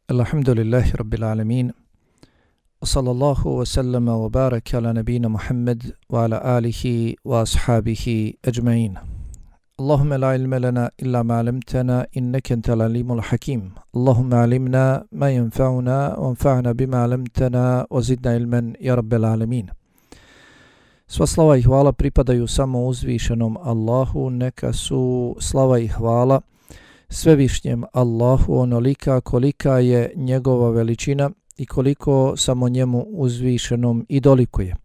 Alhamdulillahi Rabbil Alamin. Sallallahu wa sallama wa baraka ala nabina Muhammad wa ala alihi wa ashabihi ajma'in. Allahumma la ilma lana illa ma 'allamtana innaka antal alimul hakim. Allahumma 'allimna ma yanfa'una wanfa'na bima 'allamtana wa zidna ilman ya Rabbil Alamin. Sva slava i hvala pripadaju samo uzvišenom Allahu, neka su slava i hvala svevišnjem Allahu onolika kolika je njegova veličina i koliko samo njemu uzvišenom i dolikuje.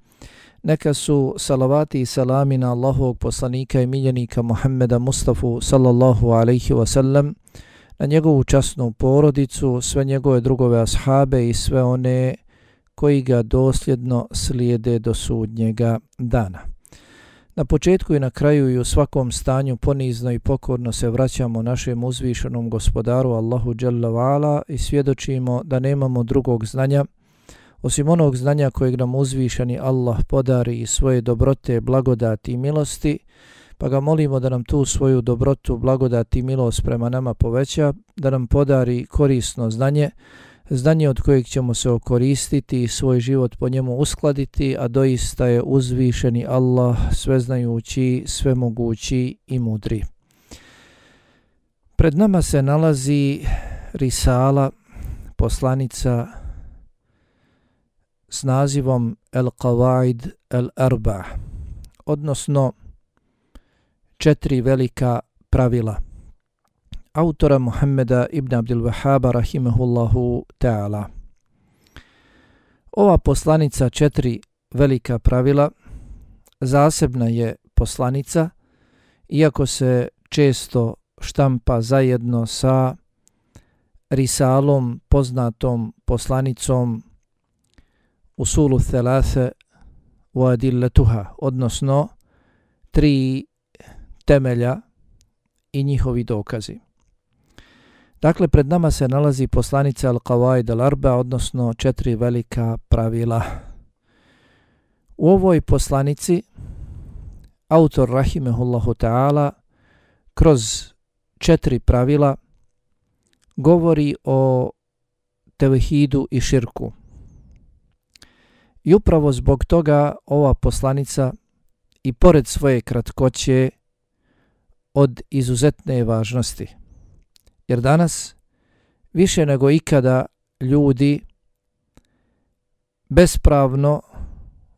Neka su salavati i salami na Allahovog poslanika i miljenika Muhammeda Mustafa sallallahu alaihi wasallam, na njegovu časnu porodicu, sve njegove drugove ashabe i sve one koji ga dosljedno slijede do sudnjega dana. Na početku i na kraju i u svakom stanju ponizno i pokorno se vraćamo našem uzvišenom gospodaru Allahu Jalla wa Ala i svjedočimo da nemamo drugog znanja osim onog znanja kojeg nam uzvišeni Allah podari i svoje dobrote, blagodati i milosti, pa ga molimo da nam tu svoju dobrotu, blagodati i milost prema nama poveća, da nam podari korisno znanje, znanje od kojeg ćemo se okoristiti i svoj život po njemu uskladiti, a doista je uzvišeni Allah sveznajući, svemogući i mudri. Pred nama se nalazi risala, poslanica s nazivom Al-Qawaid Al-Arba', odnosno 4 velika pravila, autora Muhammeda ibn Abdul Wahhaba rahimahullahu ta'ala. Ova poslanica 4 velika pravila zasebna je poslanica, iako se često štampa zajedno sa risalom, poznatom poslanicom Usulu Thalathe wa Adillatuha, odnosno 3 temelja i njihovi dokazi. Dakle, pred nama se nalazi poslanica Al-Qawaid Al-Arba', odnosno 4 velika pravila. U ovoj poslanici autor rahimehullahu ta'ala kroz 4 pravila govori o tevhidu i širku. I upravo zbog toga ova poslanica i pored svoje kratkoće od izuzetne važnosti. Jer danas više nego ikada ljudi bespravno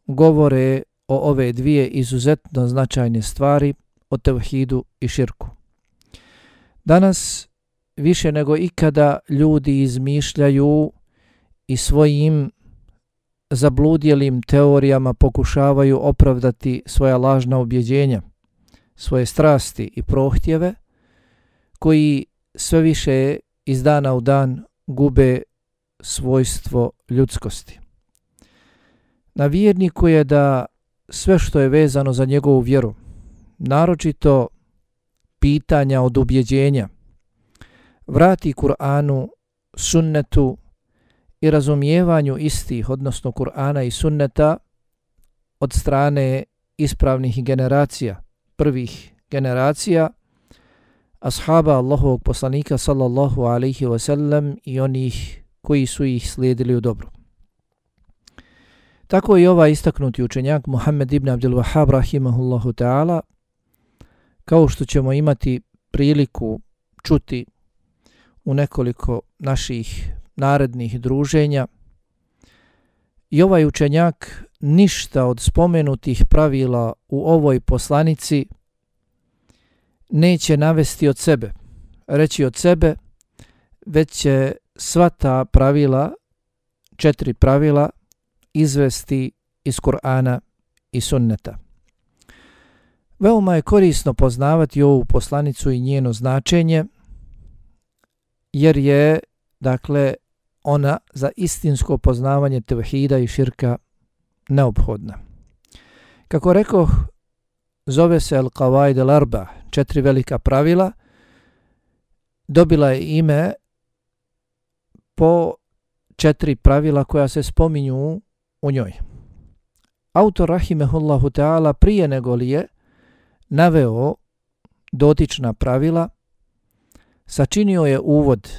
govore o ove dvije izuzetno značajne stvari, o tevhidu i širku. Danas više nego ikada ljudi izmišljaju i svojim zabludjelim teorijama pokušavaju opravdati svoja lažna ubjeđenja, svoje strasti i prohtjeve, koji sve više iz dana u dan gube svojstvo ljudskosti. Na vjerniku je da sve što je vezano za njegovu vjeru, naročito pitanja od ubjeđenja, vrati Kur'anu, sunnetu i razumijevanju istih, odnosno Kur'ana i sunneta od strane ispravnih generacija, prvih generacija, ashaba Allahovog poslanika sallallahu alaihi wasallam i onih koji su ih slijedili u dobru. Tako i ovaj istaknuti učenjak Muhammed ibn Abdul Wahhab rahimahullahu ta'ala, kao što ćemo imati priliku čuti u nekoliko naših narednih druženja, i ovaj učenjak ništa od spomenutih pravila u ovoj poslanici neće navesti od sebe, reći od sebe, već će sva ta pravila, 4 pravila, izvesti iz Kur'ana i sunneta. Veoma je korisno poznavati ovu poslanicu i njeno značenje, jer je, dakle, ona za istinsko poznavanje tevhida i širka neophodna. Kako rekoh, zove se Al-Qawaid Al-Arba', 4 velika pravila, dobila je ime po 4 pravila koja se spominju u njoj. Autor rahimehullahu ta'ala prije nego li je naveo dotična pravila, sačinio je uvod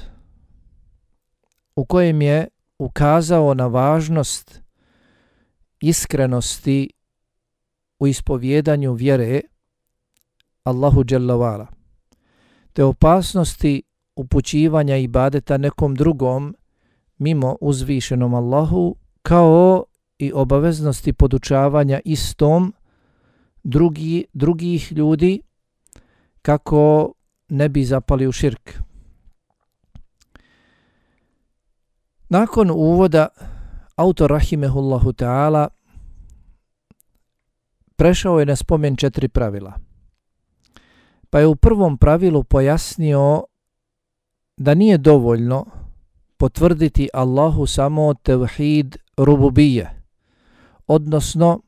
u kojem je ukazao na važnost iskrenosti u ispovjedanju vjere Allahu dželle ve ala, te opasnosti upućivanja ibadeta nekom drugom mimo uzvišenom Allahu, kao i obaveznosti podučavanja istom drugih ljudi kako ne bi zapali u širk. Nakon uvoda autor rahimehullahu ta'ala prešao je na spomen 4 pravila. Pa je u prvom pravilu pojasnio da nije dovoljno potvrditi Allahu samo tevhid rububije, odnosno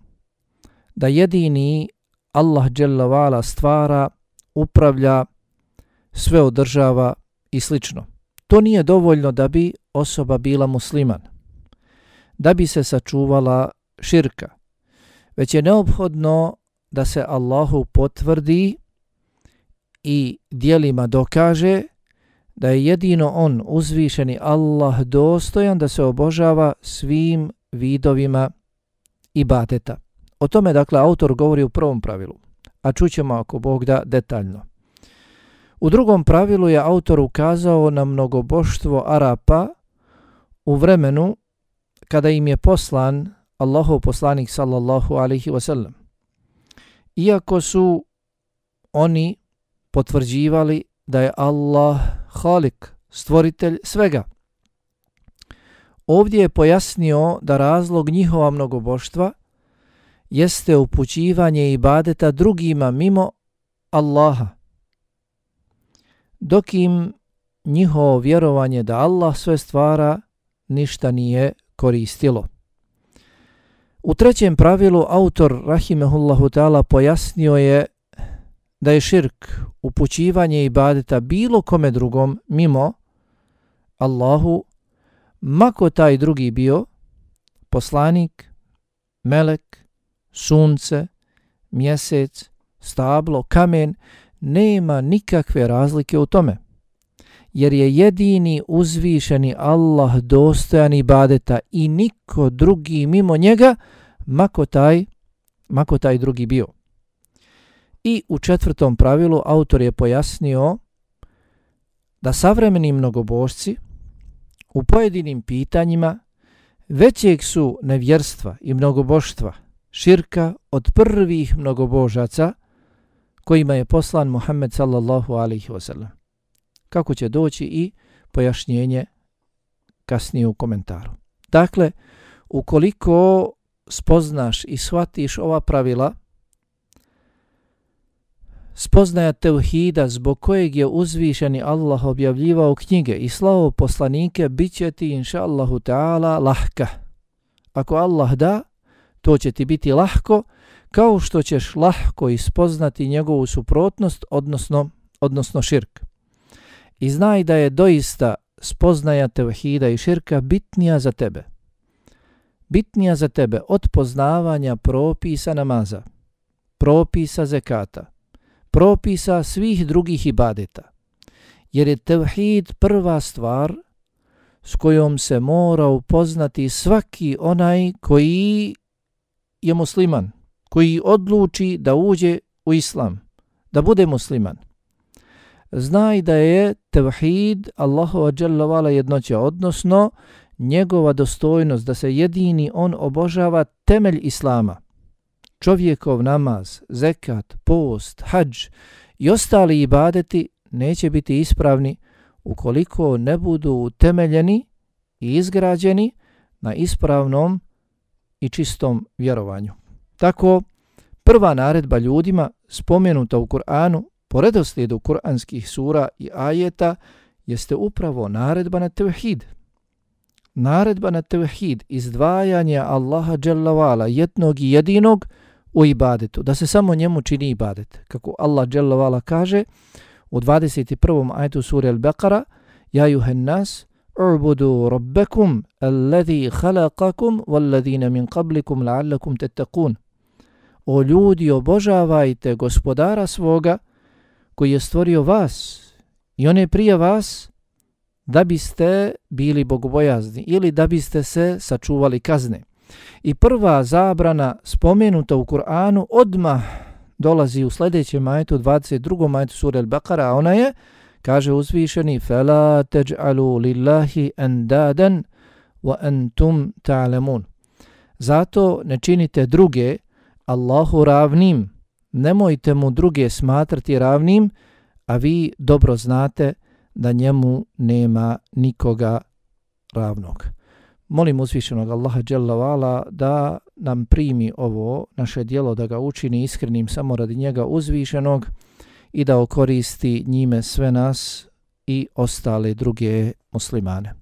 da jedini Allah dželle ve ala stvara, upravlja, sve održava i slično. To nije dovoljno da bi osoba bila musliman, da bi se sačuvala širka, već je neophodno da se Allahu potvrdi i djelima dokaže da je jedino on, uzvišeni Allah, dostojan da se obožava svim vidovima ibadeta. O tome, dakle, autor govori u prvom pravilu, a čućemo ako Bog da detaljno. U drugom pravilu je autor ukazao na mnogoboštvo Arapa u vremenu kada im je poslan Allahov poslanik sallallahu alaihi wasallam. Iako su oni potvrđivali da je Allah Halik, stvoritelj svega. Ovdje je pojasnio da razlog njihova mnogoboštva jeste upućivanje ibadeta drugima mimo Allaha, dok im njihovo vjerovanje da Allah sve stvara ništa nije koristilo. U trećem pravilu autor rahimehullahu ta'ala pojasnio je da je širk upućivanje ibadeta bilo kome drugom mimo Allahu, mako taj drugi bio poslanik, melek, sunce, mjesec, stablo, kamen, nema nikakve razlike u tome, jer je jedini uzvišeni Allah dostojan ibadeta i niko drugi mimo njega, mako taj drugi bio. I u četvrtom pravilu autor je pojasnio da savremeni mnogobožci u pojedinim pitanjima većeg su nevjerstva i mnogoboštva, širka, od prvih mnogobožaca kojima je poslan Muhammed sallallahu alaihi wasallam. Kako će doći i pojašnjenje kasnije u komentaru. Dakle, ukoliko spoznaš i shvatiš ova pravila, spoznaja tevhida zbog kojeg je uzvišeni Allah objavljivao knjige i slao poslanike, bit će ti inša Allahu ta'ala lahka. Ako Allah da, to će ti biti lahko, kao što ćeš lahko ispoznati njegovu suprotnost, odnosno širk. I znaj da je doista spoznaja tevhida i širka bitnija za tebe. Bitnija za tebe od poznavanja propisa namaza, propisa zekata, propisa svih drugih ibadeta. Jer je tevhid prva stvar s kojom se mora upoznati svaki onaj koji je musliman, koji odluči da uđe u islam, da bude musliman. Znaj da je tevhid Allahova dželle ve ala jednoća, odnosno njegova dostojnost, da se jedini on obožava, temelj islama. Čovjekov namaz, zekat, post, hadž i ostali ibadeti neće biti ispravni ukoliko ne budu utemeljeni i izgrađeni na ispravnom i čistom vjerovanju. Tako, prva naredba ljudima spomenuta u Kur'anu po redoslijedu kuranskih sura i ajeta jeste upravo naredba na tevhid. Naredba na tevhid, izdvajanje Allaha dželle ve ala, jednog i jedinog, u ibadetu, da se samo njemu čini ibadet. Kako Allah dželle ve ala kaže u 21. ajetu sure Al-Baqara: Ja juhen nas, u'budu rabbakum alladhi khalaqakum walladhina min qablikum la'allakum tattaqun. O ljudi, obožavajte gospodara svoga koji je stvorio vas i one prije vas, da biste bili bogobojazni ili da biste se sačuvali kazne. I prva zabrana spomenuta u Kur'anu odmah dolazi u sljedećem ajetu, 22. ajetu sure Al-Baqara, a ona je, kaže uzvišeni, فَلَا تَجْعَلُوا لِلَّهِ أَنْدَادًا وَأَنْتُمْ تَعْلَمُونَ. Zato ne činite druge Allahu ravnim, nemojte mu druge smatrati ravnim, a vi dobro znate da njemu nema nikoga ravnog. Molim uzvišenog Allaha dželle ve ala da nam primi ovo naše djelo, da ga učini iskrenim samo radi njega uzvišenog i da okoristi njime sve nas i ostale druge muslimane.